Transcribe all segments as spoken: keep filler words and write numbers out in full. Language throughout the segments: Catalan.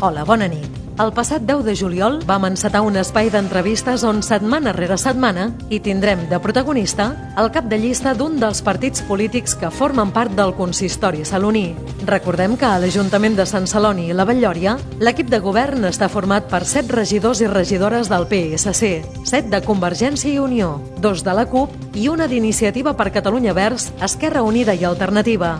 Hola, bona nit. El passat deu de juliol vam encetar un espai d'entrevistes on setmana rere setmana hi tindrem de protagonista el cap de llista d'un dels partits polítics que formen part del consistori saloní. Recordem que a l'Ajuntament de Sant Celoni i la Vall-lloria l'equip de govern està format per set regidors i regidores del P S C, set de Convergència i Unió, dos de la CUP i una d'Iniciativa per Catalunya Verds, Esquerra Unida i Alternativa.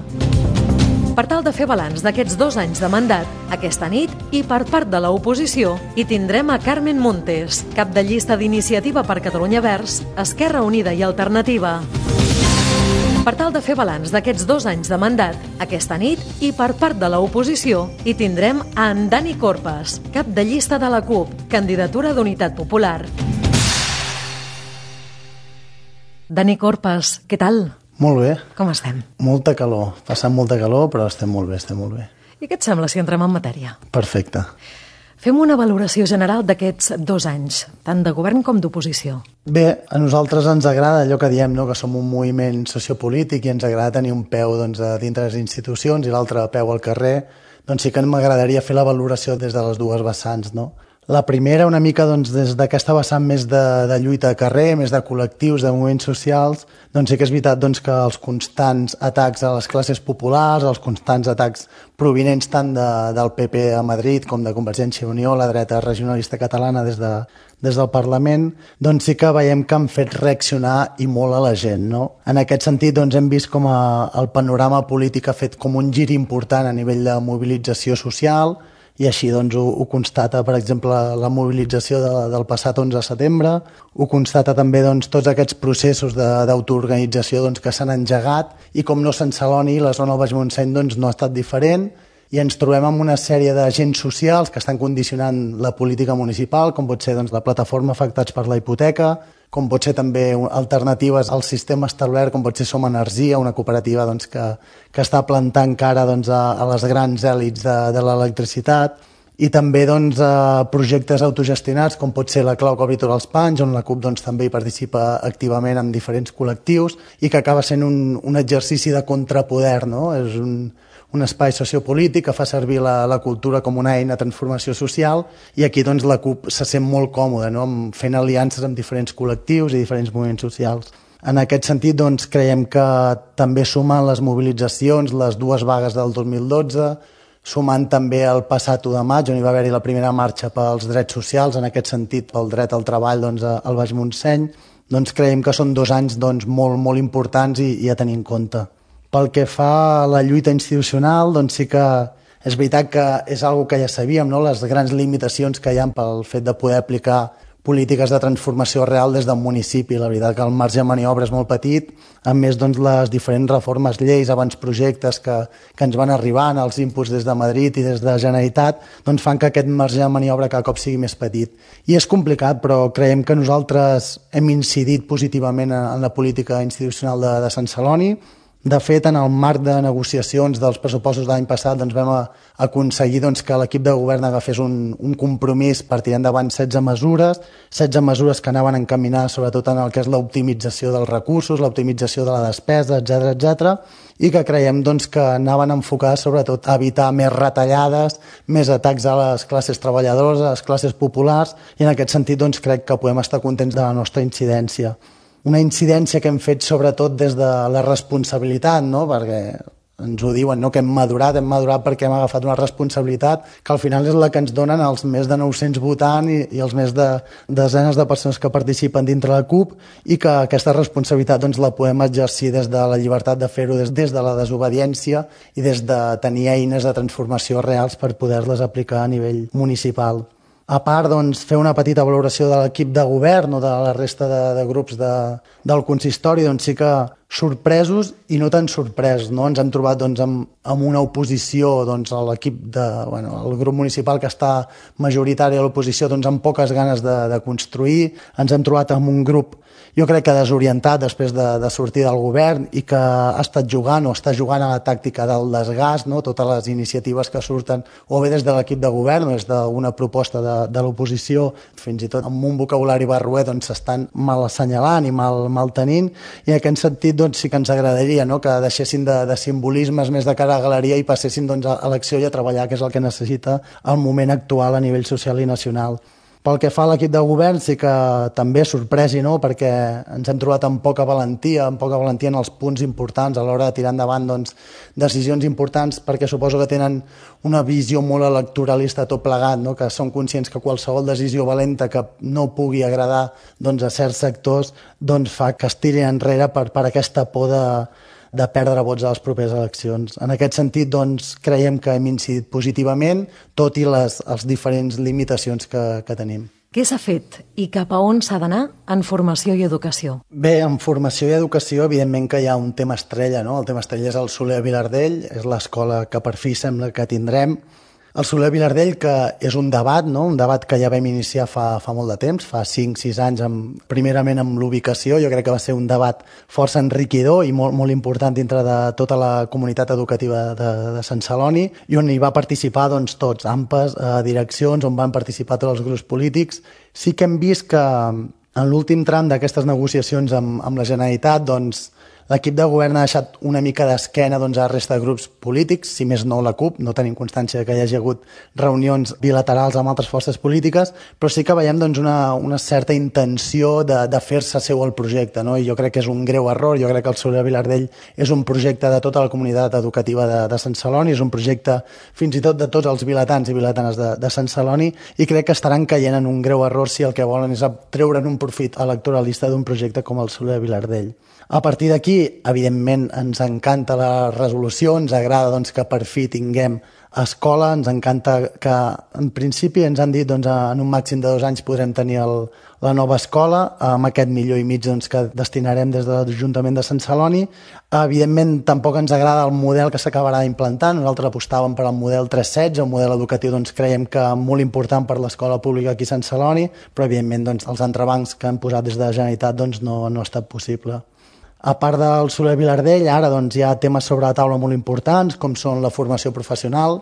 Per tal de fer balanç d'aquests dos anys de mandat, aquesta nit, i per part de l'oposició, hi tindrem a Carmen Montes, cap de llista d'Iniciativa per Catalunya Verds, Esquerra Unida i Alternativa. Per tal de fer balanç d'aquests dos anys de mandat, aquesta nit, i per part de l'oposició, hi tindrem a en Dani Corpes, cap de llista de la CUP, candidatura d'Unitat Popular. Dani Corpes, què tal? Molt bé. Com estem? Molta calor. Passant molta calor, però estem molt bé, estem molt bé. I què et sembla si entrem en matèria? Perfecte. Fem una valoració general d'aquests dos anys, tant de govern com d'oposició. Bé, a nosaltres ens agrada allò que diem, no? Que som un moviment sociopolític i ens agrada tenir un peu doncs, a dintre les institucions i l'altre peu al carrer. Doncs sí que m'agradaria fer la valoració des de les dues vessants, no? La primera, una mica doncs, des d'aquesta vessant més de, de lluita a carrer, més de col·lectius, de moviments socials, doncs sí que és veritat doncs, que els constants atacs a les classes populars, els constants atacs provinents tant de, del P P a Madrid com de Convergència i Unió, la dreta regionalista catalana des, de, des del Parlament, doncs sí que veiem que han fet reaccionar i molt a la gent, no? En aquest sentit doncs, hem vist com a, el panorama polític ha fet com un gir important a nivell de mobilització social, i així doncs, ho, ho constata, per exemple, la mobilització de, del passat onze de setembre, ho constata també doncs, tots aquests processos d'autoorganització doncs, que s'han engegat i com no Sant Celoni, la zona del Baix Montseny doncs, no ha estat diferent i ens trobem amb una sèrie d'agents socials que estan condicionant la política municipal, com pot ser doncs, la plataforma Afectats per la Hipoteca, com pot ser també alternatives al sistema establert, com pot ser Som Energia, una cooperativa doncs, que, que està plantant cara doncs, a, a les grans èlits de, de l'electricitat, i també doncs, a projectes autogestionats, com pot ser la Clau que obri tots els panys, on la CUP doncs, també hi participa activament en diferents col·lectius, i que acaba sent un, un exercici de contrapoder, no? És un, un espai sociopolític que fa servir la, la cultura com una eina de transformació social, i aquí doncs, la CUP se sent molt còmoda, no? Fent aliances amb diferents col·lectius i diferents moviments socials. En aquest sentit, doncs, creiem que també sumen les mobilitzacions, les dues vagues del dos mil dotze, sumant també el passat u de maig, on hi va haver-hi la primera marxa pels drets socials, en aquest sentit pel dret al treball doncs, al Baix Montseny, doncs creiem que són dos anys doncs, molt, molt importants i, i a tenir en compte. Pel que fa a la lluita institucional, doncs sí que és veritat que és una cosa que ja sabíem, no? Les grans limitacions que hi ha pel fet de poder aplicar polítiques de transformació real des del municipi. La veritat que el marge de maniobra és molt petit, a més doncs, les diferents reformes, lleis, abans projectes que, que ens van arribant, els inputs des de Madrid i des de la Generalitat, doncs fan que aquest marge de maniobra cada cop sigui més petit. I és complicat, però creiem que nosaltres hem incidit positivament en la política institucional de, de Sant Celoni. De fet, en el marc de negociacions dels pressupostos de l'any passat doncs vam aconseguir doncs, que l'equip de govern agafés un, un compromís per tirar endavant setze mesures, setze mesures que anaven encaminades sobretot en el que és l'optimització dels recursos, l'optimització de la despesa, etcètera, etcètera, i que creiem doncs, que anaven enfocades sobretot a evitar més retallades, més atacs a les classes treballadores, a les classes populars, i en aquest sentit doncs, crec que podem estar contents de la nostra incidència. Una incidència que hem fet sobretot des de la responsabilitat, no? Perquè ens ho diuen, no? Que hem madurat, hem madurat perquè hem agafat una responsabilitat que al final és la que ens donen els més de nou-cents votants i, i els més de desenes de persones que participen dintre la CUP, i que aquesta responsabilitat doncs, la podem exercir des de la llibertat de fer-ho, des, des de la desobediència i des de tenir eines de transformació reals per poder-les aplicar a nivell municipal. A part, doncs, fer una petita valoració de l'equip de govern o de la resta de, de grups de, del consistori, doncs sí que sorpresos i no tan sorpresos, no? Ens hem trobat doncs, amb, amb una oposició doncs, a l'equip de, bueno, el grup municipal que està majoritari a l'oposició doncs, amb poques ganes de, de construir. Ens hem trobat amb un grup, jo crec que desorientat després de, de sortir del govern i que ha estat jugant o està jugant a la tàctica del desgast, no? Totes les iniciatives que surten o bé des de l'equip de govern o des d'una proposta de, de l'oposició, fins i tot amb un vocabulari barroer doncs, s'estan mal assenyalant i mal, mal tenint, i en aquest sentit doncs, sí que ens agradaria, no?, que deixessin de, de simbolismes més de cara a galeria i passessin doncs, a l'acció i a treballar, que és el que necessita el moment actual a nivell social i nacional. Pel que fa a l'equip de govern, sí que també sorpresi, no?, perquè ens hem trobat amb poca valentia, amb poca valentia en els punts importants a l'hora de tirar endavant doncs, decisions importants, perquè suposo que tenen una visió molt electoralista tot plegat, no?, que són conscients que qualsevol decisió valenta que no pugui agradar doncs, a certs sectors doncs, fa que es tirin enrere per, per aquesta por de, de perdre vots a les properes eleccions. En aquest sentit, doncs, creiem que hem incidit positivament, tot i les, les diferents limitacions que, que tenim. Què s'ha fet i cap a on s'ha d'anar en formació i educació? Bé, en formació i educació, evidentment que hi ha un tema estrella, no? El tema estrella és el Soler Vilardell, és l'escola que per fi sembla que tindrem. El Soler Vilardell, que és un debat, no? Un debat que ja vam iniciar fa, fa molt de temps, fa cinc sis anys, amb, primerament amb l'ubicació. Jo crec que va ser un debat força enriquidor i molt, molt important dintre de tota la comunitat educativa de, de Sant Celoni, i on hi va participar doncs, tots, A M P Es, eh, direccions, on van participar tots els grups polítics. Sí que hem vist que en l'últim tram d'aquestes negociacions amb, amb la Generalitat, doncs, l'equip de govern ha deixat una mica d'esquena doncs, a la resta de grups polítics, si més no la CUP, no tenim constància que hi hagi hagut reunions bilaterals amb altres forces polítiques, però sí que veiem doncs, una, una certa intenció de, de fer-se seu el projecte, no? I jo crec que és un greu error. Jo crec que el Soler Vilardell és un projecte de tota la comunitat educativa de, de Sant Celoni, és un projecte fins i tot de tots els vilatans i vilatanes de, de Sant Celoni, i crec que estaran caient en un greu error si el que volen és treure'n un profit electoralista d'un projecte com el Soler Vilardell. A partir d'aquí, evidentment, ens encanta la resolució, ens agrada doncs, que per fi tinguem escola, ens encanta que, en principi, ens han dit doncs, en un màxim de dos anys podrem tenir el, la nova escola, amb aquest milió i mig doncs, que destinarem des de l'Ajuntament de Sant Celoni. Evidentment, tampoc ens agrada el model que s'acabarà d'implantar. Nosaltres apostàvem per al model tres setze, un model educatiu doncs, creiem que molt important per l'escola pública aquí a Sant Celoni, però, evidentment, doncs, els entrebancs que han posat des de la Generalitat doncs, no, no ha estat possible. A part del Soler Vilardell, ara doncs, hi ha temes sobre la taula molt importants, com són la formació professional,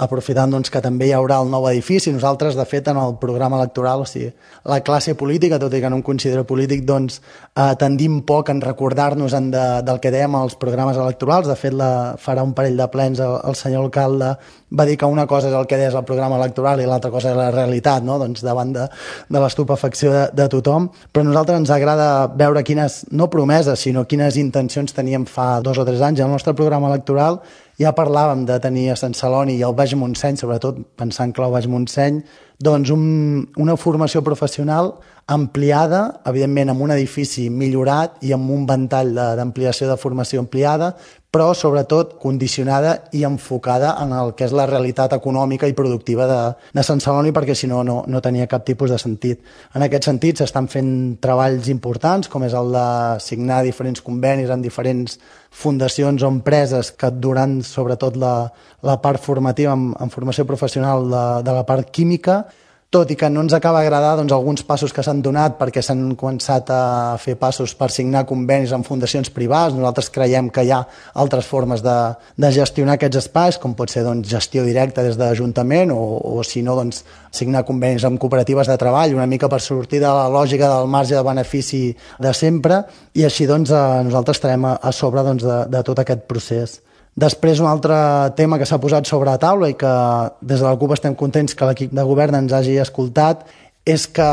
aprofitant doncs, que també hi haurà el nou edifici. Nosaltres, de fet, en el programa electoral, o sigui, la classe política, tot i que no em considero polític, doncs, eh, tendim poc en recordar-nos de, del que dèiem als programes electorals. De fet, la, farà un parell de plens el, el senyor alcalde va dir que una cosa és el que deies al programa electoral i l'altra cosa és la realitat, no? Doncs davant de, de l'estupefacció de, de tothom. Però a nosaltres ens agrada veure quines, no promeses, sinó quines intencions teníem fa dos o tres anys. El nostre programa electoral ja parlàvem de tenir a Sant Celoni i al Baix Montseny, sobretot pensant que el Baix Montseny, doncs un, una formació professional ampliada, evidentment amb un edifici millorat i amb un ventall d'ampliació de, de formació ampliada, però sobretot condicionada i enfocada en el que és la realitat econòmica i productiva de, de Sant Celoni, perquè si no, no, no tenia cap tipus de sentit. En aquest sentit s'estan fent treballs importants, com és el de signar diferents convenis amb diferents fundacions o empreses que duran sobretot la, la part formativa en, en formació professional de, de la part química, tot i que no ens acaba d'agradar doncs, alguns passos que s'han donat perquè s'han començat a fer passos per signar convenis amb fundacions privades. Nosaltres creiem que hi ha altres formes de, de gestionar aquests espais, com pot ser doncs, gestió directa des de l'Ajuntament o, o si no, doncs, signar convenis amb cooperatives de treball, una mica per sortir de la lògica del marge de benefici de sempre, i així doncs, nosaltres estarem a, a sobre doncs, de, de tot aquest procés. Després, un altre tema que s'ha posat sobre la taula i que des de la CUP estem contents que l'equip de govern ens hagi escoltat és que,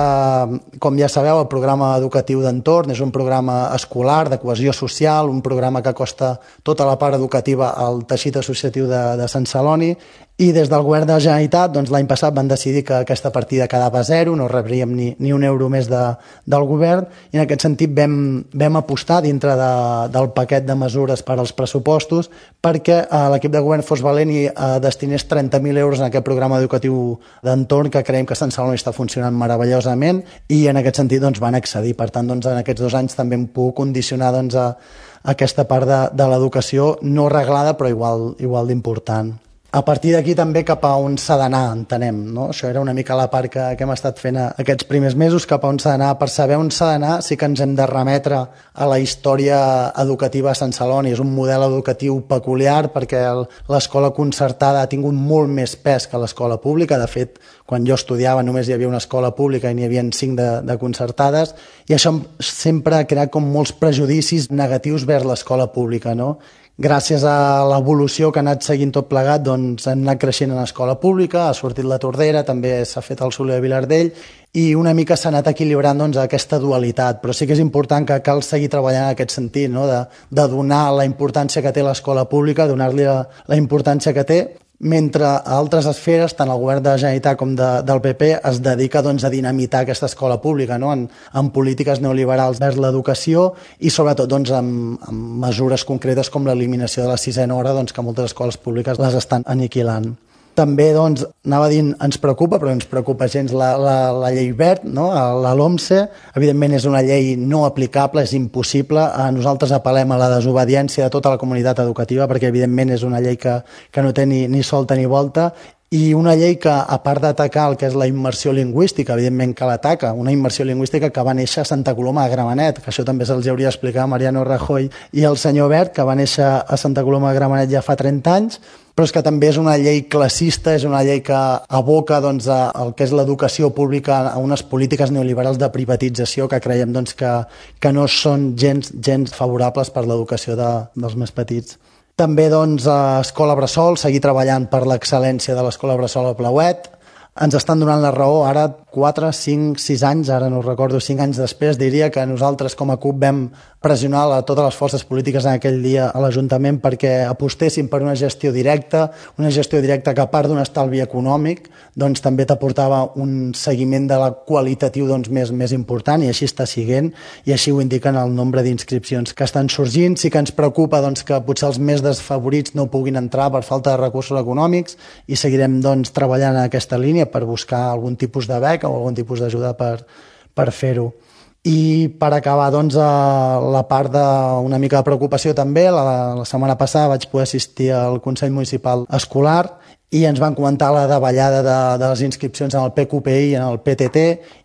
com ja sabeu, el programa educatiu d'entorn és un programa escolar, de cohesió social, un programa que acosta tota la part educativa al teixit associatiu de, de Sant Celoni, i des del govern de la Generalitat doncs, l'any passat van decidir que aquesta partida quedava a zero, no rebríem ni, ni un euro més de, del govern, i en aquest sentit vam, vam apostar dintre de, del paquet de mesures per als pressupostos perquè eh, l'equip de govern fos valent i eh, destinés trenta mil euros en aquest programa educatiu d'entorn, que creiem que Sant Celoni està funcionant meravellosament, i en aquest sentit doncs, van accedir. Per tant, doncs, en aquests dos anys també hem pogut condicionar doncs, a, a aquesta part de, de l'educació no reglada però igual, igual d'important. A partir d'aquí també cap a on s'ha d'anar, entenem, no? Això era una mica la part que, que hem estat fent aquests primers mesos, cap a on s'ha d'anar. Per saber on s'ha d'anar sí que ens hem de remetre a la història educativa a Sant Celoni. És un model educatiu peculiar perquè l'escola concertada ha tingut molt més pes que l'escola pública. De fet, quan jo estudiava només hi havia una escola pública i n'hi havia cinc de, de concertades, i això sempre ha creat com molts prejudicis negatius vers l'escola pública, no? Gràcies a l'evolució que ha anat seguint tot plegat, doncs hem anat creixent en l'escola pública, ha sortit la Tordera, també s'ha fet el Soler de Vilardell, i una mica s'ha anat equilibrant doncs, aquesta dualitat, però sí que és important que cal seguir treballant en aquest sentit, no? de, de donar la importància que té l'escola pública, donar-li la, la importància que té, mentre a altres esferes, tant el govern de la Generalitat com de, del P P, es dedica doncs, a dinamitar aquesta escola pública, no? en, en polítiques neoliberals vers l'educació i sobretot doncs, amb, amb mesures concretes com l'eliminació de la sisena hora, doncs, que moltes escoles públiques les estan aniquilant. També, doncs, anava dient, ens preocupa, però ens preocupa gens la, la, la llei verd, no? la LOMSE. Evidentment és una llei no aplicable, és impossible. Nosaltres apel·lem a la desobediència de tota la comunitat educativa, perquè evidentment és una llei que, que no té ni, ni solta ni volta, i una llei que, a part d'atacar el que és la immersió lingüística, evidentment que l'ataca, una immersió lingüística que va néixer a Santa Coloma de Gramenet, que això també se'ls hauria d'explicar a Mariano Rajoy i el senyor Wert, que va néixer a Santa Coloma de Gramenet ja fa trenta anys, però és que també és una llei classista, és una llei que aboca doncs, a, el que és l'educació pública a unes polítiques neoliberals de privatització que creiem doncs, que, que no són gens, gens favorables per l'educació de, dels més petits. També doncs, a Escola Bressol, seguir treballant per l'excel·lència de l'Escola Bressol al Blauet. Ens estan donant la raó ara quatre, cinc, sis anys, ara no ho recordo, cinc anys després, diria que nosaltres com a C U P vam pressionar a totes les forces polítiques en aquell dia a l'Ajuntament perquè apostessin per una gestió directa, una gestió directa que a part d'un estalvi econòmic doncs també t'aportava un seguiment de la qualitatiu doncs, més, més important, i així està siguent, i així ho indiquen el nombre d'inscripcions que estan sorgint. Sí que ens preocupa doncs, que potser els més desfavorits no puguin entrar per falta de recursos econòmics, i seguirem doncs, treballant en aquesta línia per buscar algun tipus de beca o algun tipus d'ajuda per, per fer-ho. I per acabar, doncs, a la part d'una mica de preocupació també, la, la setmana passada vaig poder assistir al Consell Municipal Escolar i ens van comentar la davallada de, de les inscripcions en el P Q P I i en el P T T,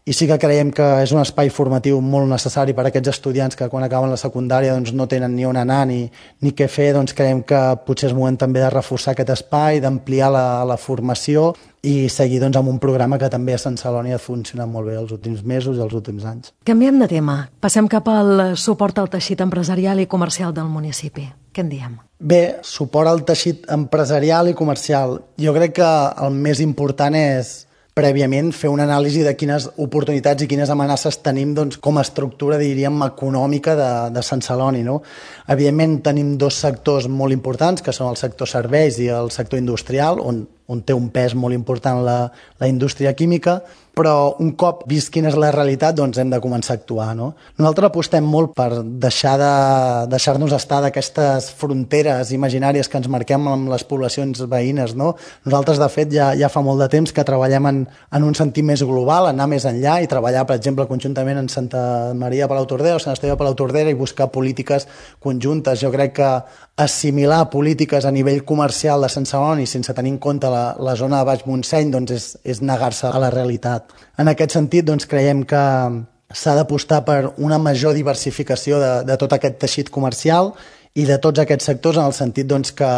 i sí que creiem que és un espai formatiu molt necessari per a aquests estudiants que quan acaben la secundària doncs, no tenen ni on anar ni, ni què fer. Doncs creiem que potser és moment també de reforçar aquest espai, d'ampliar la, la formació i seguir doncs, amb un programa que també a Sant Celoni ha funcionat molt bé els últims mesos i els últims anys. Canviem de tema. Passem cap al suport al teixit empresarial i comercial del municipi. Què en diem? Bé, suport al teixit empresarial i comercial. Jo crec que el més important és prèviament fer una anàlisi de quines oportunitats i quines amenaces tenim doncs, com a estructura, diríem, econòmica de, de Sant Celoni. No? Evidentment tenim dos sectors molt importants, que són el sector serveis i el sector industrial, on, on té un pes molt important la, la indústria química, però un cop vist quina és la realitat, doncs hem de començar a actuar. No? Nosaltres apostem molt per deixar de, deixar-nos estar d'aquestes fronteres imaginàries que ens marquem amb les poblacions veïnes. No? Nosaltres, de fet, ja, ja fa molt de temps que treballem en, en un sentit més global, anar més enllà i treballar, per exemple, conjuntament en Santa Maria Palautordera o Sant Esteve Palautordera i buscar polítiques conjuntes. Jo crec que assimilar polítiques a nivell comercial de Sant Celoni sense tenir en compte la, la zona de Baix Montseny doncs és, és negar-se a la realitat. En aquest sentit, doncs, creiem que s'ha d'apostar per una major diversificació de, de tot aquest teixit comercial i de tots aquests sectors, en el sentit doncs, que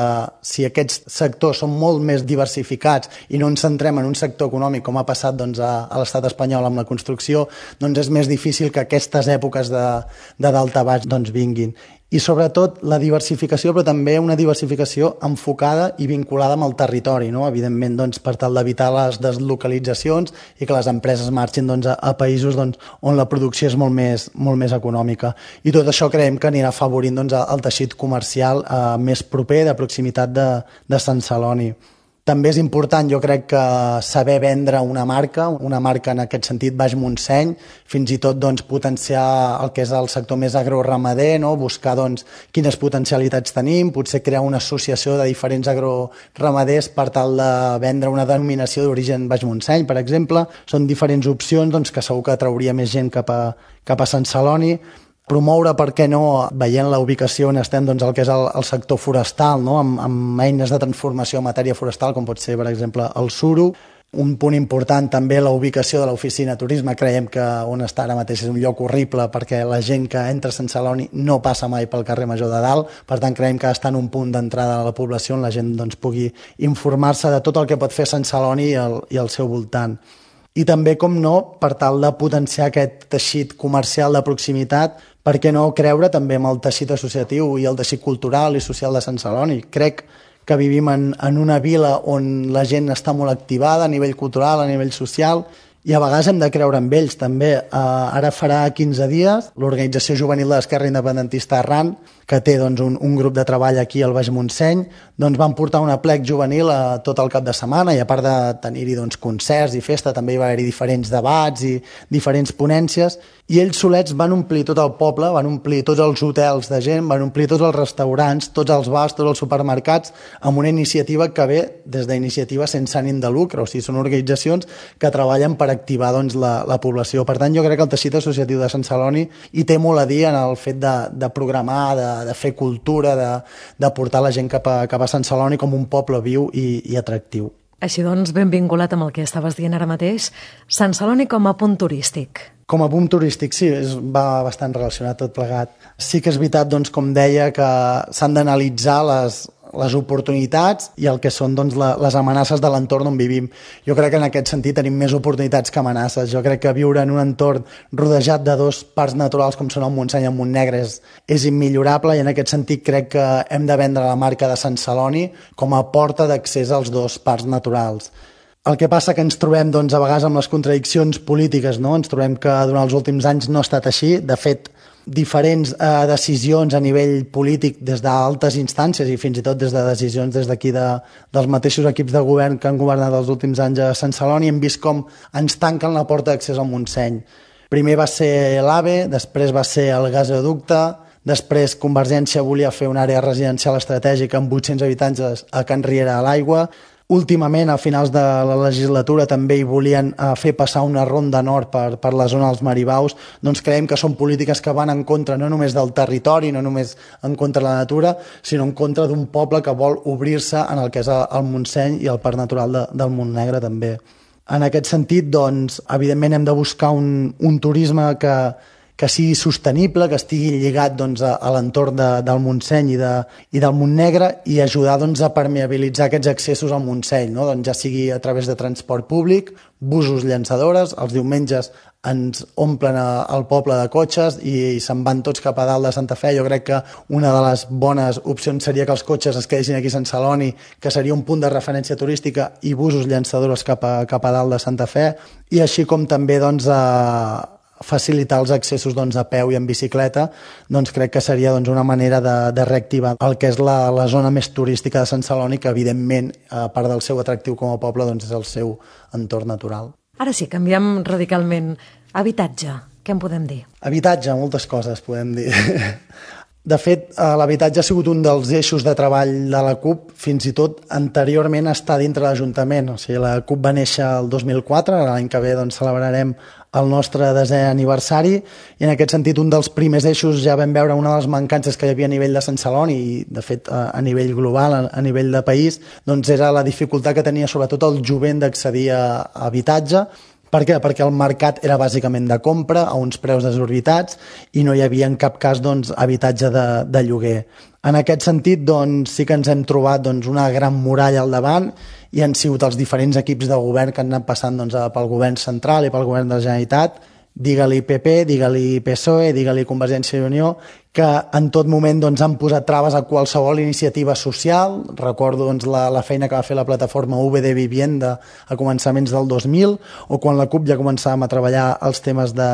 si aquests sectors són molt més diversificats i no ens centrem en un sector econòmic com ha passat doncs, a, a l'estat espanyol amb la construcció, doncs és més difícil que aquestes èpoques de, de daltabaix doncs, vinguin. I sobretot la diversificació, però també una diversificació enfocada i vinculada amb el territori, no? Evidentment doncs, per tal d'evitar les deslocalitzacions i que les empreses marxin doncs, a, a països doncs, on la producció és molt més, molt més econòmica. I tot això creiem que anirà afavorint doncs, el teixit comercial eh, més proper, de proximitat de, de Sant Celoni. També és important, jo crec, que saber vendre una marca, una marca en aquest sentit Baix Montseny, fins i tot doncs, potenciar el que és el sector més agroramader, no? Buscar doncs, quines potencialitats tenim, potser crear una associació de diferents agroramaders per tal de vendre una denominació d'origen Baix Montseny, per exemple. Són diferents opcions doncs, que segur que atrauria més gent cap a, cap a Sant Celoni. promoure, per què no, veient la ubicació on estem, doncs el que és el, el sector forestal, no? amb, amb eines de transformació en matèria forestal, com pot ser, per exemple, el suro. Un punt important també la ubicació de l'oficina de turisme. Creiem que on està ara mateix és un lloc horrible perquè la gent que entra a Sant Celoni no passa mai pel carrer Major de Dalt, per tant creiem que està en un punt d'entrada a la població on la gent doncs, pugui informar-se de tot el que pot fer Sant Celoni i el, i el seu voltant. I també, com no, per tal de potenciar aquest teixit comercial de proximitat, per què no creure també en el teixit associatiu i el teixit cultural i social de Sant Celoni. Crec que vivim en, en una vila on la gent està molt activada a nivell cultural, a nivell social, i a vegades hem de creure en ells també. Uh, ara farà quinze dies l'Organització Juvenil de l'Esquerra Independentista Arran, que té doncs, un, un grup de treball aquí al Baix Montseny, doncs van portar un aplec juvenil a tot el cap de setmana, i a part de tenir-hi doncs, concerts i festa, també hi va haver-hi diferents debats i diferents ponències, i ells solets van omplir tot el poble, van omplir tots els hotels de gent, van omplir tots els restaurants, tots els bars, tots els supermercats, amb una iniciativa que ve des d'iniciatives sense ànim de lucre, o sigui, són organitzacions que treballen per activar doncs, la, la població. Per tant, jo crec que el teixit associatiu de Sant Celoni hi té molt a dir en el fet de, de programar, de, de fer cultura, de, de portar la gent cap a, cap a Sant Celoni com un poble viu i, i atractiu. Així doncs, ben vinculat amb el que estaves dient ara mateix, Sant Celoni com a punt turístic. Com a punt turístic, sí, és, va bastant relacionat tot plegat. Sí que és veritat, doncs, com deia, que s'han d'analitzar les, les oportunitats i el que són doncs, la, les amenaces de l'entorn on vivim. Jo crec que en aquest sentit tenim més oportunitats que amenaces. Jo crec que viure en un entorn rodejat de dos parcs naturals com són el Montseny i el Montnegre és, és immillorable, i en aquest sentit crec que hem de vendre la marca de Sant Celoni com a porta d'accés als dos parcs naturals. El que passa que ens trobem doncs, a vegades amb les contradiccions polítiques, no? Ens trobem que durant els últims anys no ha estat així. De fet, diferents eh, decisions a nivell polític des d'altes instàncies i fins i tot des de decisions des d'aquí de, dels mateixos equips de govern que han governat els últims anys a Sant Celoni, hem vist com ens tanquen la porta d'accés al Montseny. Primer va ser l'AVE, després va ser el gasoducte, després Convergència volia fer una àrea residencial estratègica amb vuit-cents habitatges a Can Riera a l'Aigua. Últimament, a finals de la legislatura, també hi volien eh, fer passar una ronda nord per, per la zona dels Maribaus. Doncs creiem que són polítiques que van en contra no només del territori, no només en contra de la natura, sinó en contra d'un poble que vol obrir-se en el que és el Montseny i el Parc Natural de, del Montnegre també. En aquest sentit, doncs, evidentment hem de buscar un, un turisme que que sigui sostenible, que estigui lligat doncs, a, a l'entorn de, del Montseny i, de, i del Montnegre, i ajudar doncs, a permeabilitzar aquests accessos al Montseny, no? Doncs, ja sigui a través de transport públic, busos llançadores, els diumenges ens omplen a, el poble de cotxes i, i se'n van tots cap a dalt de Santa Fe. Jo crec que una de les bones opcions seria que els cotxes es quedessin aquí a Sant Celoni, que seria un punt de referència turística, i busos llançadores cap a, cap a dalt de Santa Fe, i així com també doncs, a facilitar els accessos doncs, a peu i en bicicleta. Doncs crec que seria doncs, una manera de, de reactivar el que és la, la zona més turística de Sant Celoni, que evidentment, a part del seu atractiu com a poble, doncs, és el seu entorn natural. Ara sí, canviem radicalment. Habitatge, què en podem dir? Habitatge, moltes coses podem dir. De fet, l'habitatge ha sigut un dels eixos de treball de la CUP, fins i tot anteriorment a estar dintre l'Ajuntament. O sigui, la CUP va néixer el dos mil quatre, l'any que ve doncs, celebrarem el nostre desè aniversari, i en aquest sentit un dels primers eixos ja vam veure una de les mancances que hi havia a nivell de Sant Celoni i de fet a nivell global, a nivell de país, doncs era la dificultat que tenia sobretot el jovent d'accedir a habitatge. Per què? Perquè el mercat era bàsicament de compra a uns preus desorbitats i no hi havia en cap cas doncs, habitatge de, de lloguer. En aquest sentit, doncs, sí que ens hem trobat doncs, una gran muralla al davant, i han sigut els diferents equips de govern que han anat passant doncs, pel govern central i pel govern de la Generalitat, digue-li P P, digue-li P S O E, digue-li Convergència i Unió, que en tot moment doncs, han posat traves a qualsevol iniciativa social. Recordo doncs, la, la feina que va fer la plataforma V de Vivienda a començaments del dos mil, o quan la CUP ja començàvem a treballar els temes de,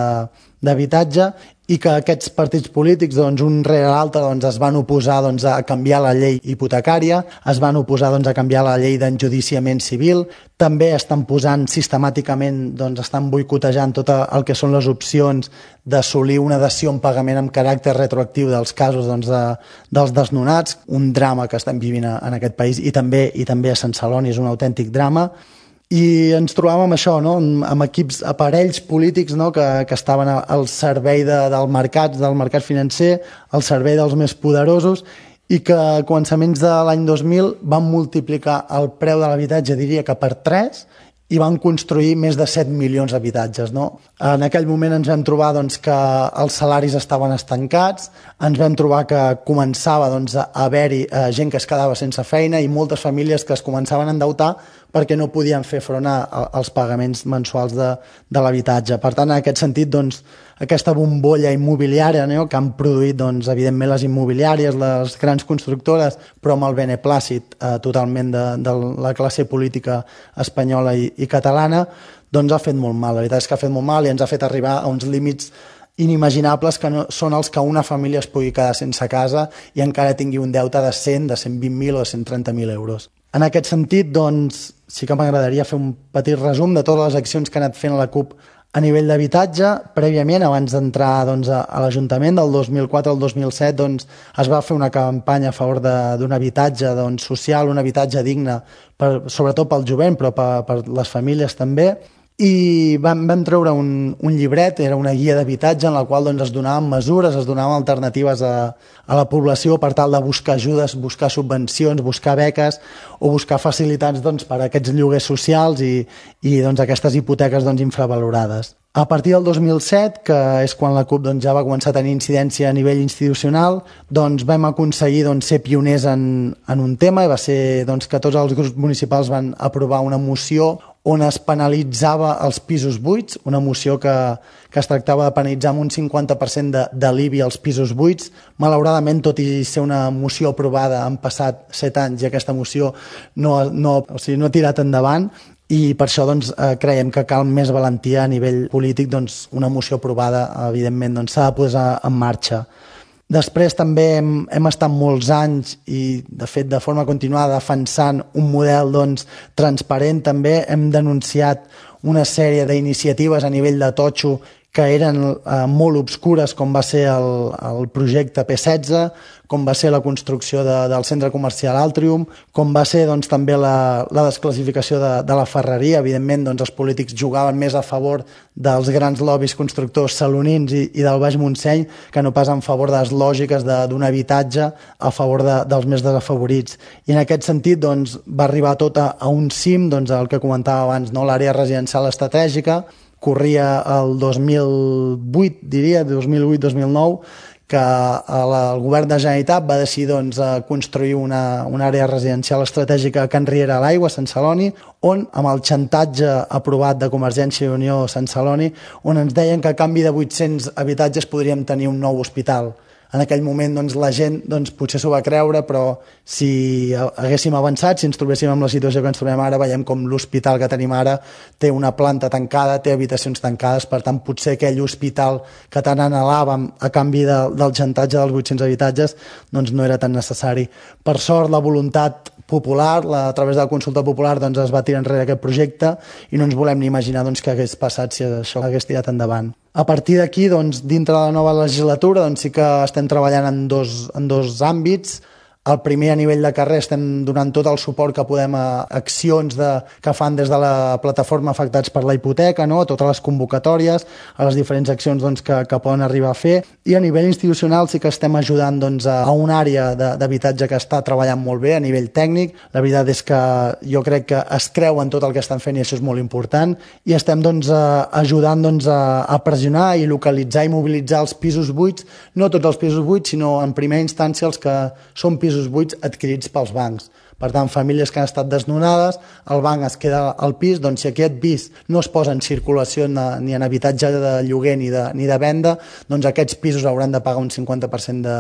d'habitatge, i que aquests partits polítics, doncs, un rere l'altre, doncs, es van oposar doncs, a canviar la llei hipotecària, es van oposar doncs, a canviar la llei d'enjudiciament civil, també estan posant sistemàticament, doncs, estan boicotejant tot el que són les opcions d'assolir una dació en pagament amb caràcter retroactiu dels casos doncs, de, dels desnonats, un drama que estem vivint en aquest país, i també, i també a Sant Celoni és un autèntic drama. I ens trobàvem amb això, no? amb equips, aparells polítics, no? que, que estaven al servei de, del mercat, del mercat financer, al servei dels més poderosos, i que a començaments de l'any dos mil van multiplicar el preu de l'habitatge, diria que per tres, i van construir més de set milions d'habitatges. No? En aquell moment ens vam trobar doncs, que els salaris estaven estancats, ens vam trobar que començava doncs, a haver-hi eh, gent que es quedava sense feina i moltes famílies que es començaven a endeutar perquè no podien fer front a, a, als pagaments mensuals de, de l'habitatge. Per tant, en aquest sentit, doncs, aquesta bombolla immobiliària, no? que han produït, doncs, evidentment, les immobiliàries, les grans constructores, però amb el beneplàcit eh, totalment de, de la classe política espanyola i, i catalana, doncs ha fet molt mal. La veritat és que ha fet molt mal i ens ha fet arribar a uns límits inimaginables que no, són els que una família es pugui quedar sense casa i encara tingui un deute de cent, de cent vint mil o de cent trenta mil euros. En aquest sentit, doncs, sí que m'agradaria fer un petit resum de totes les accions que ha anat fent la CUP a nivell d'habitatge. Prèviament, abans d'entrar doncs, a, a l'Ajuntament, del dos mil quatre al dos mil set, doncs, es va fer una campanya a favor d'un habitatge doncs, social, un habitatge digne, per, sobretot pel jovent, però per, per les famílies també. I vam, vam treure un, un llibret, era una guia d'habitatge en la qual doncs, es donaven mesures, es donaven alternatives a, a la població per tal de buscar ajudes, buscar subvencions, buscar beques o buscar facilitats doncs, per a aquests lloguers socials i, i doncs, aquestes hipoteques doncs, infravalorades. A partir del dos mil set, que és quan la CUP doncs, ja va començar a tenir incidència a nivell institucional, doncs, vam aconseguir doncs, ser pioners en, en un tema, i va ser doncs, que tots els grups municipals van aprovar una moció on es penalitzava els pisos buits, una moció que, que es tractava de penalitzar amb un cinquanta per cent de, de l'I B I als pisos buits. Malauradament, tot i ser una moció aprovada, han passat set anys i aquesta moció no, no, o sigui, no ha tirat endavant, i per això doncs, eh, creiem que cal més valentia a nivell polític, doncs, una moció aprovada, evidentment, doncs, s'ha de posar en marxa. Després també hem, hem estat molts anys i, de fet, de forma continuada defensant un model doncs, transparent. També hem denunciat una sèrie d'iniciatives a nivell de totxo que eren eh, molt obscures, com va ser el, el projecte P setze, com va ser la construcció de, del centre comercial Altrium, com va ser doncs, també la, la desclassificació de, de la ferreria. Evidentment, doncs, els polítics jugaven més a favor dels grans lobbies constructors salonins i, i del Baix Montseny que no pas en favor de les lògiques d'un habitatge a favor de, dels més desafavorits. I en aquest sentit doncs, va arribar tot a, a un cim, doncs, el que comentava abans, no? L'àrea residencial estratègica. Corria el dos mil vuit, diria, dos mil vuit dos mil nou, que el govern de la Generalitat va decidir doncs, construir una, una àrea residencial estratègica a Can Riera a l'Aigua, a Sant Celoni, on, amb el xantatge aprovat de Convergència i Unió a Sant Celoni, on ens deien que a canvi de vuit-cents habitatges podríem tenir un nou hospital. En aquell moment doncs, la gent doncs, potser s'ho va creure, però si haguéssim avançat, si ens trobéssim en la situació que ens trobem ara, veiem com l'hospital que tenim ara té una planta tancada, té habitacions tancades, per tant potser aquell hospital que tant anhelàvem a canvi de, del xantatge dels vuit-cents habitatges doncs, no era tan necessari. Per sort, la voluntat popular, la, a través de la consulta popular, doncs, es va tirar enrere aquest projecte i no ens volem ni imaginar doncs, què hagués passat si això hagués tirat endavant. A partir d'aquí, doncs, dintre de la nova legislatura, doncs, sí que estem treballant en dos, en dos àmbits. El primer, a nivell de carrer, estem donant tot el suport que podem a accions de, que fan des de la plataforma Afectats per la Hipoteca, no? A totes les convocatòries, a les diferents accions doncs, que, que poden arribar a fer. I a nivell institucional sí que estem ajudant doncs, a, a una àrea d'habitatge que està treballant molt bé a nivell tècnic. La veritat és que jo crec que es creuen tot el que estan fent i això és molt important. I estem doncs, a, ajudant doncs, a, a pressionar i localitzar i mobilitzar els pisos buits, no tots els pisos buits, sinó en primera instància els que són pisos buits adquirits pels bancs. Per tant, famílies que han estat desnonades, el banc es queda al pis, doncs si aquest pis no es posa en circulació ni en habitatge de lloguer ni de, ni de venda, doncs aquests pisos hauran de pagar un cinquanta per cent de,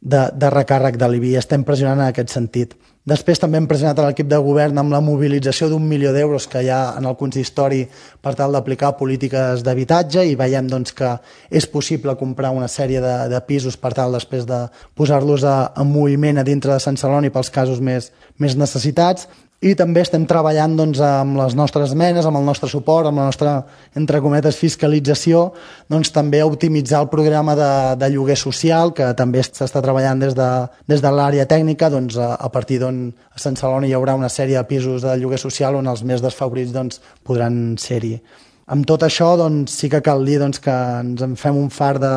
de, de recàrrec de l'I B I. Estem pressionant en aquest sentit. Després també hem pressionat a l'equip de govern amb la mobilització d'un milió d'euros que hi ha en el consistori per tal d'aplicar polítiques d'habitatge i veiem doncs, que és possible comprar una sèrie de, de pisos per tal després de posar-los en moviment a dintre de Sant Celoni pels casos més, més necessitats. i també estem treballant doncs, amb les nostres esmenes, amb el nostre suport, amb la nostra, entre cometes, fiscalització, doncs, també a optimitzar el programa de, de lloguer social, que també s'està treballant des de, des de l'àrea tècnica, doncs, a, a partir d'on a Sant Celoni hi haurà una sèrie de pisos de lloguer social on els més desfavorits doncs, podran ser-hi. Amb tot això doncs, sí que cal dir doncs, que ens en fem un far de,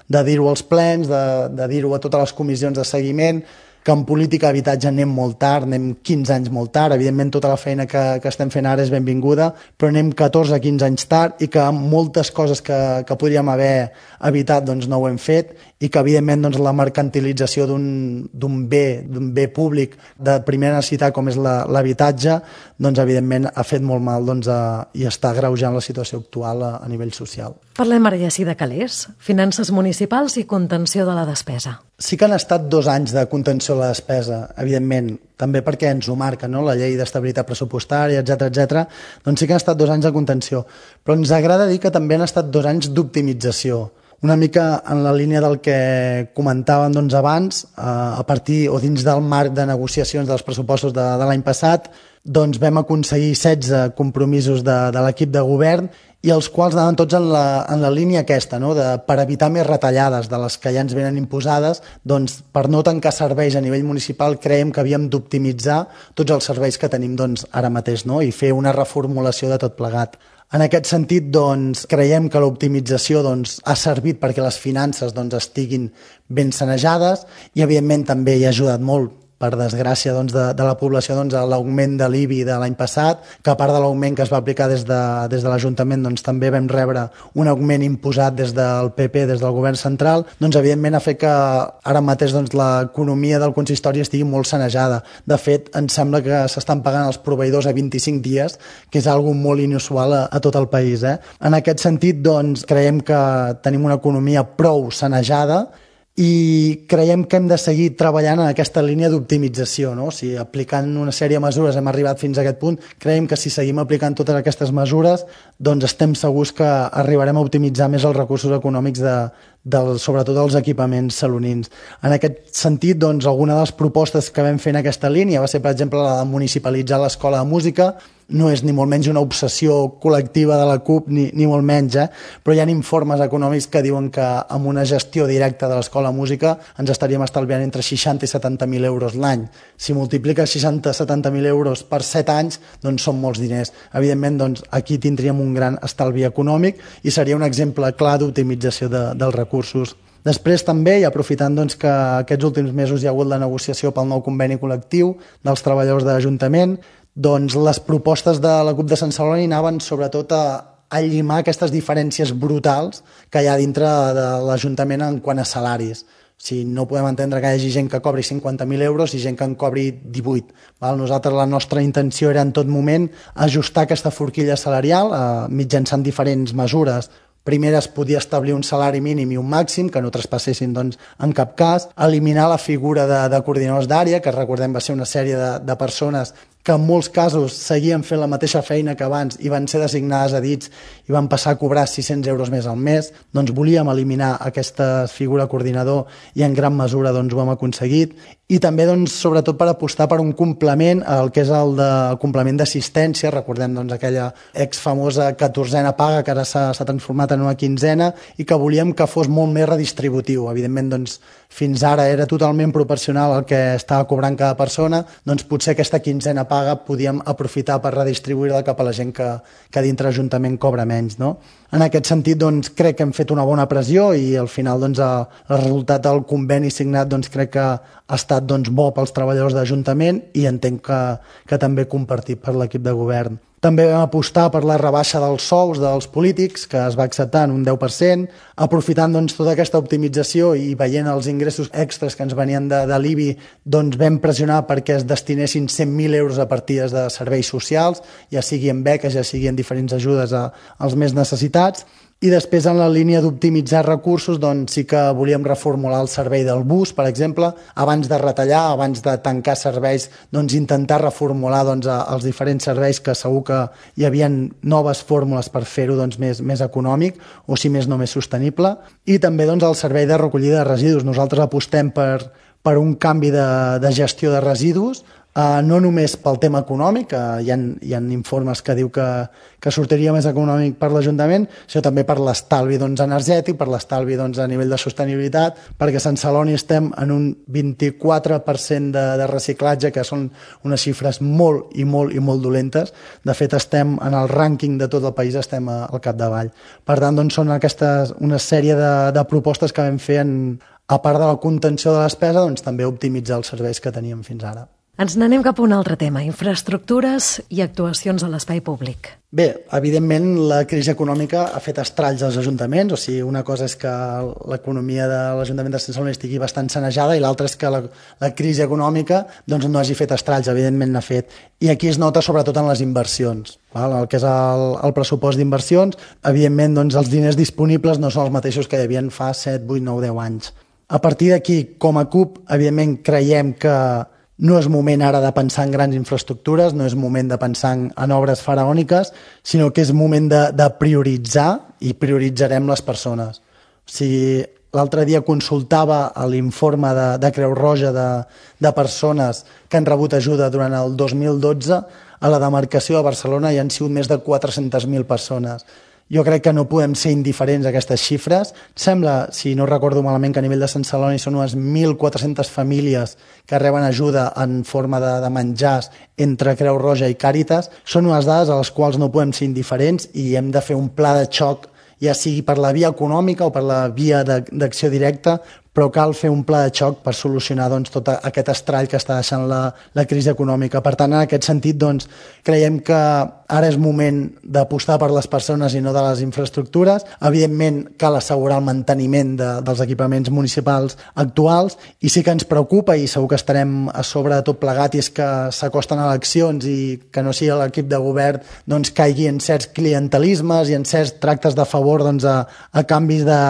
de dir-ho als plens, de, de dir-ho a totes les comissions de seguiment, que en política d'habitatge anem molt tard, anem quinze anys molt tard, evidentment tota la feina que, que estem fent ara és benvinguda, però anem catorze a quinze anys tard i que moltes coses que, que podríem haver evitat doncs, no ho hem fet i que evidentment doncs, la mercantilització d'un bé, d'un bé públic de primera necessitat com és l'habitatge, doncs evidentment ha fet molt mal doncs, a, i està agreujant la situació actual a, a nivell social. Parlem ara ja sí de calés, finances municipals i contenció de la despesa. Sí que han estat dos anys de contenció de la despesa, evidentment, també perquè ens ho marca, no? La llei d'estabilitat pressupostària, etcètera, etcètera. Doncs sí que han estat dos anys de contenció, però ens agrada dir que també han estat dos anys d'optimització. Una mica en la línia del que comentàvem doncs, abans, a partir o dins del marc de negociacions dels pressupostos de, de l'any passat, doncs vam aconseguir setze compromisos de, de l'equip de govern i els quals anaven tots en la, en la línia aquesta, no? De, per evitar més retallades de les que ja ens venen imposades, doncs, per no tancar serveis a nivell municipal creiem que havíem d'optimitzar tots els serveis que tenim doncs, ara mateix, no? I fer una reformulació de tot plegat. En aquest sentit, doncs, creiem que l'optimització doncs, ha servit perquè les finances doncs, estiguin ben sanejades i, evidentment, també hi ha ajudat molt, per desgràcia doncs, de, de la població, doncs, a l'augment de l'I B I de l'any passat, que a part de l'augment que es va aplicar des de, des de l'Ajuntament, doncs, també vam rebre un augment imposat des del P P, des del govern central, doncs, evidentment ha fet que ara mateix doncs, l'economia del consistori estigui molt sanejada. De fet, ens sembla que s'estan pagant els proveïdors a vint-i-cinc dies, que és algo molt inusual a, a tot el país. Eh? En aquest sentit, doncs, creiem que tenim una economia prou sanejada i creiem que hem de seguir treballant en aquesta línia d'optimització, no? O sigui, aplicant una sèrie de mesures hem arribat fins a aquest punt, creiem que si seguim aplicant totes aquestes mesures doncs estem segurs que arribarem a optimitzar més els recursos econòmics de, del, sobretot dels equipaments salonins. En aquest sentit, doncs, alguna de les propostes que vam fer en aquesta línia va ser, per exemple, la de municipalitzar l'escola de música. No és ni molt menys una obsessió col·lectiva de la CUP, ni, ni molt menys, eh? Però hi ha informes econòmics que diuen que amb una gestió directa de l'escola de música ens estaríem estalviant entre seixanta i setanta mil euros l'any. Si multiplica seixanta a setanta mil euros per set anys, doncs són molts diners. Evidentment, doncs, aquí tindríem un gran estalvi econòmic i seria un exemple clar d'optimització de, dels recursos. Després també, i aprofitant doncs, que aquests últims mesos hi ha hagut la negociació pel nou conveni col·lectiu dels treballadors de l'Ajuntament, doncs les propostes de la CUP de Sant Celoni anaven sobretot a, a llimar aquestes diferències brutals que hi ha dintre de l'Ajuntament en quant a salaris. O sigui, no podem entendre que hi hagi gent que cobri cinquanta mil euros i gent que en cobri divuit. Val? Nosaltres la nostra intenció era en tot moment ajustar aquesta forquilla salarial eh, mitjançant diferents mesures. Primer es podia establir un salari mínim i un màxim, que no traspassessin doncs, en cap cas, eliminar la figura de, de coordinadors d'àrea, que recordem va ser una sèrie de, de persones que en molts casos seguien fent la mateixa feina que abans i van ser designades a dits i van passar a cobrar sis-cents euros més al mes. Doncs volíem eliminar aquesta figura coordinador i en gran mesura doncs, ho hem aconseguit. I també, doncs, sobretot, per apostar per un complement, el que és el, de, el complement d'assistència. Recordem doncs, aquella exfamosa catorzena paga que ara s'ha transformat en una quinzena i que volíem que fos molt més redistributiu. Evidentment, doncs, fins ara era totalment proporcional al que estava cobrant cada persona, doncs potser aquesta quinzena paga podíem aprofitar per redistribuir-la cap a la gent que, que dintre l'Ajuntament cobra menys. No? En aquest sentit, doncs, crec que hem fet una bona pressió i al final doncs, el, el resultat del conveni signat doncs, crec que ha estat doncs, bo pels treballadors de l'Ajuntament i entenc que, que també compartit per l'equip de govern. També vam apostar per la rebaixa dels sous dels polítics, que es va acceptar en un deu per cent, aprofitant doncs, tota aquesta optimització i veient els ingressos extras que ens venien de, de l'I B I, doncs vam pressionar perquè es destinessin cent mil euros a partides de serveis socials, ja sigui en beques, ja sigui en diferents ajudes a, als més necessitats. I després, en la línia d'optimitzar recursos, doncs sí que volíem reformular el servei del bus, per exemple, abans de retallar, abans de tancar serveis, doncs intentar reformular doncs, els diferents serveis que segur que hi havia noves fórmules per fer-ho doncs, més, més econòmic o, si més no, més sostenible. I també doncs, el servei de recollida de residus. Nosaltres apostem per, per un canvi de, de gestió de residus, Uh, no només pel tema econòmic, uh, hi, ha, hi ha informes que diu que, que sortiria més econòmic per l'Ajuntament, sinó també per l'estalvi doncs, energètic, per l'estalvi doncs, a nivell de sostenibilitat, perquè a Sant Celoni estem en un vint-i-quatre per cent de, de reciclatge, que són unes xifres molt i molt i molt dolentes. De fet, estem en el rànquing de tot el país, estem a, al capdavall. Per tant, doncs, són aquestes, una sèrie de, de propostes que vam fer, en, a part de la contenció de la despesa, doncs, també optimitzar els serveis que teníem fins ara. Ens n'anem cap a un altre tema, infraestructures i actuacions a l'espai públic. Bé, evidentment la crisi econòmica ha fet estralls als ajuntaments, o sigui, una cosa és que l'economia de l'Ajuntament de Sant Celoni estigui bastant sanejada i l'altra és que la, la crisi econòmica doncs, no hagi fet estralls, evidentment n'ha fet. I aquí es nota sobretot en les inversions, val? El que és el, el pressupost d'inversions, evidentment doncs, els diners disponibles no són els mateixos que hi havia fa set, vuit, nou, deu anys. A partir d'aquí, com a C U P, evidentment creiem que no és moment ara de pensar en grans infraestructures, no és moment de pensar en obres faraòniques, sinó que és moment de, de prioritzar i prioritzarem les persones. O sigui, l'altre dia consultava l'informe de, de Creu Roja de, de persones que han rebut ajuda durant el dos mil dotze. A la demarcació de Barcelona hi han sigut més de quatre-centes mil persones. Jo crec que no podem ser indiferents a aquestes xifres. Sembla, si no recordo malament, que a nivell de Sant Celoni són unes mil quatre-centes famílies que reben ajuda en forma de, de menjars entre Creu Roja i Càritas. Són unes dades a les quals no podem ser indiferents i hem de fer un pla de xoc, ja sigui per la via econòmica o per la via d'acció directa, però cal fer un pla de xoc per solucionar doncs, tot aquest estrall que està deixant la, la crisi econòmica. Per tant, en aquest sentit, doncs, creiem que ara és moment d'apostar per les persones i no de les infraestructures. Evidentment, cal assegurar el manteniment de, dels equipaments municipals actuals i sí que ens preocupa i segur que estarem a sobre de tot plegat i és que s'acosten eleccions i que no sigui l'equip de govern doncs, caigui en certs clientelismes i en certs tractes de favor doncs, a, a canvis de,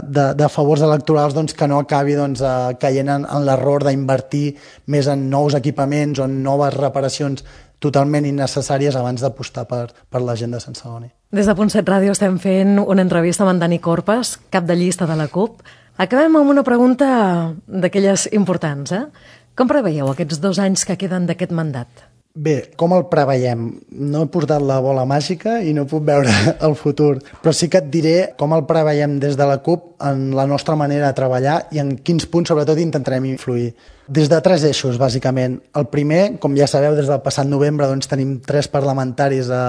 de, de favors electorals doncs, que no acabi doncs, caient en, en l'error d'invertir més en nous equipaments o en noves reparacions totalment innecessàries abans d'apostar per, per la gent de Sant Celoni. Des de Punt set Ràdio estem fent una entrevista amb en Dani Corpes, cap de llista de la C U P. Acabem amb una pregunta d'aquelles importants. Eh? Com preveieu aquests dos anys que queden d'aquest mandat? Bé, com el preveiem? No he portat la bola màgica i no puc veure el futur, però sí que et diré com el preveiem des de la C U P en la nostra manera de treballar i en quins punts sobretot intentarem influir. Des de tres eixos, bàsicament. El primer, com ja sabeu, des del passat novembre doncs, tenim tres parlamentaris a,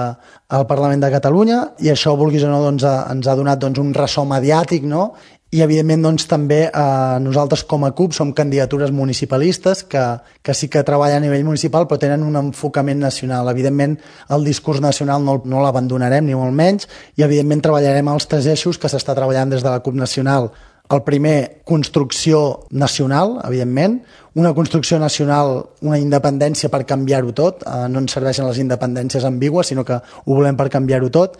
al Parlament de Catalunya i això, vulguis o no, doncs, a, ens ha donat doncs, un ressò mediàtic, no? I, evidentment, doncs, també eh, nosaltres com a C U P som candidatures municipalistes que, que sí que treballen a nivell municipal però tenen un enfocament nacional. Evidentment, el discurs nacional no, no l'abandonarem, ni molt menys, i, evidentment, treballarem els tres eixos que s'està treballant des de la C U P nacional. El primer, construcció nacional, evidentment. Una construcció nacional, una independència per canviar-ho tot. Eh, no ens serveixen les independències ambigües, sinó que ho volem per canviar-ho tot.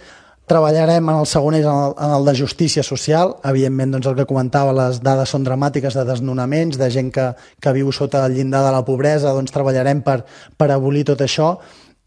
Treballarem en el segon eix, en el, en el de justícia social. Evidentment, doncs el que comentava, les dades són dramàtiques de desnonaments, de gent que, que viu sota el llindar de la pobresa, doncs treballarem per, per abolir tot això.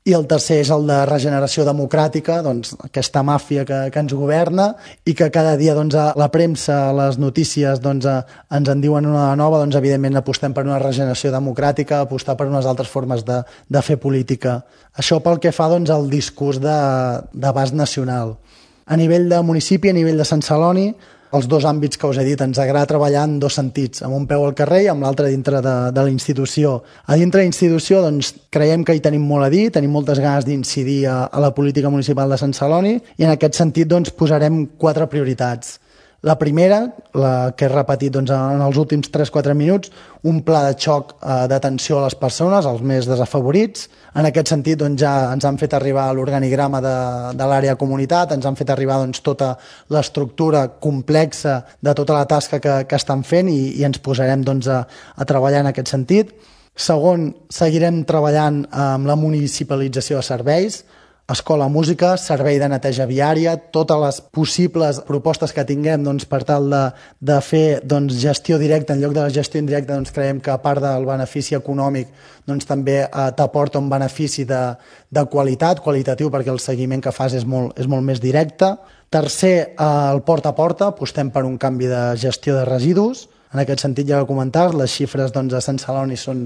I el tercer és el de regeneració democràtica, doncs aquesta màfia que, que ens governa i que cada dia doncs, a la premsa, a les notícies, doncs, a, ens en diuen una nova, doncs evidentment apostem per una regeneració democràtica, apostar per unes altres formes de, de fer política. Això pel que fa doncs, al discurs d'abast nacional. A nivell de municipi, a nivell de Sant Celoni, els dos àmbits que us he dit, ens agrada treballar en dos sentits, amb un peu al carrer i amb l'altre dintre de, de la institució. A dintre de la institució doncs, creiem que hi tenim molt a dir, tenim moltes ganes d'incidir a, a la política municipal de Sant Celoni i en aquest sentit doncs, posarem quatre prioritats. La primera, la que he repetit doncs, en els últims tres quatre minuts, un pla de xoc eh, d'atenció a les persones, als més desafavorits. En aquest sentit doncs, ja ens han fet arribar l'organigrama de, de l'àrea comunitat, ens han fet arribar doncs, tota l'estructura complexa de tota la tasca que, que estan fent i, i ens posarem doncs, a, a treballar en aquest sentit. Segon, seguirem treballant amb la municipalització de serveis, escola, música, servei de neteja viària, totes les possibles propostes que tinguem doncs, per tal de, de fer doncs, gestió directa en lloc de la gestió indirecta, doncs, creiem que a part del benefici econòmic doncs, també eh, t'aporta un benefici de, de qualitat, qualitatiu, perquè el seguiment que fas és molt, és molt més directe. Tercer, eh, el porta a porta, apostem per un canvi de gestió de residus. En aquest sentit, ja ho comentaves, les xifres doncs, a Sant Celoni són,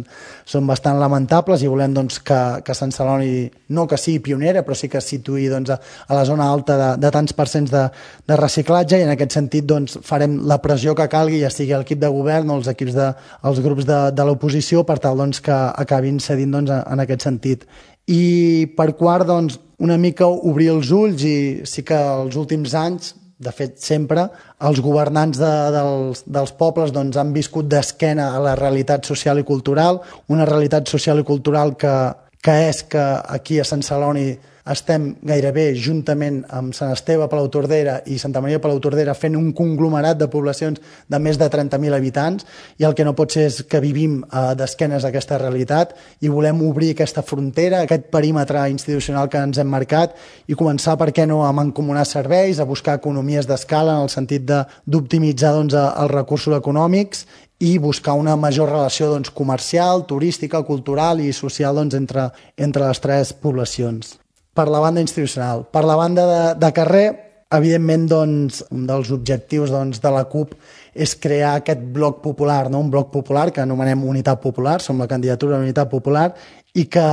són bastant lamentables i volem doncs, que, que Sant Celoni no que sigui pionera, però sí que es situï doncs, a, a la zona alta de, de tants percents de, de reciclatge, i en aquest sentit doncs, farem la pressió que calgui, ja sigui l'equip de govern o els equips de, els grups de, de l'oposició, per tal doncs, que acabin cedint doncs, en aquest sentit. I per quart, doncs, una mica obrir els ulls, i sí que els últims anys, de fet sempre, els governants de, dels, dels pobles doncs, han viscut d'esquena a la realitat social i cultural, una realitat social i cultural que, que és que aquí a Sant Celoni estem gairebé juntament amb Sant Esteve, Palautordera i Santa Maria de Palautordera fent un conglomerat de poblacions de més de trenta mil habitants, i el que no pot ser és que vivim eh, d'esquenes a aquesta realitat, i volem obrir aquesta frontera, aquest perímetre institucional que ens hem marcat, i començar, per què no, a mancomunar serveis, a buscar economies d'escala en el sentit d'optimitzar doncs, els recursos econòmics i buscar una major relació doncs, comercial, turística, cultural i social doncs, entre, entre les tres poblacions. Per la banda institucional. Per la banda de, de carrer, evidentment, doncs, un dels objectius doncs, de la CUP és crear aquest bloc popular, no? Un bloc popular que anomenem Unitat Popular, som la candidatura de Unitat Popular, i que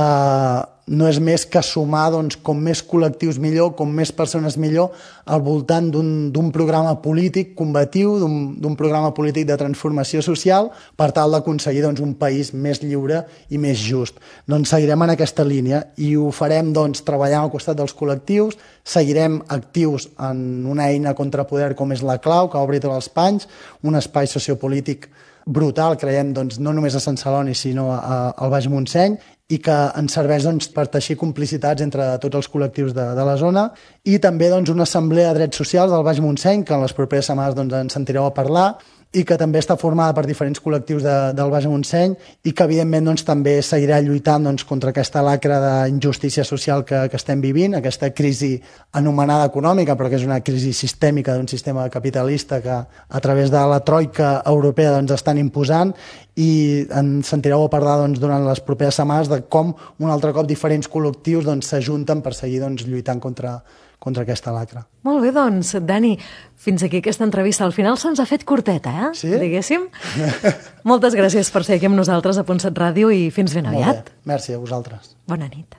no és més que sumar doncs, com més col·lectius millor, com més persones millor, al voltant d'un programa polític combatiu, d'un programa polític de transformació social, per tal d'aconseguir doncs, un país més lliure i més just. Doncs seguirem en aquesta línia i ho farem doncs, treballant al costat dels col·lectius, seguirem actius en una eina contra poder com és la Clau, que obri tots els panys, un espai sociopolític brutal, creiem, doncs, no només a Sant Celoni, sinó a, a, al Baix Montseny, i que ens serveix doncs, per teixir complicitats entre tots els col·lectius de, de la zona, i també doncs, una assemblea de drets socials del Baix Montseny, que en les properes setmanes doncs, ens sentireu a parlar, i que també està formada per diferents col·lectius de, del Baix Montseny, i que evidentment doncs, també seguirà lluitant doncs, contra aquesta lacra d'injustícia social que, que estem vivint, aquesta crisi anomenada econòmica, però que és una crisi sistèmica d'un sistema capitalista que a través de la troika europea doncs, estan imposant, i ens sentireu a parlar doncs, durant les properes setmanes de com un altre cop diferents col·lectius s'ajunten doncs, per seguir doncs, lluitant contra, contra aquesta lacra. Molt bé, doncs, Dani, fins aquí aquesta entrevista. Al final se'ns ha fet curteta, eh? Sí? Diguéssim. Moltes gràcies per ser aquí amb nosaltres a Ponsat Ràdio i fins ben aviat. Molt bé. Merci a vosaltres. Bona nit.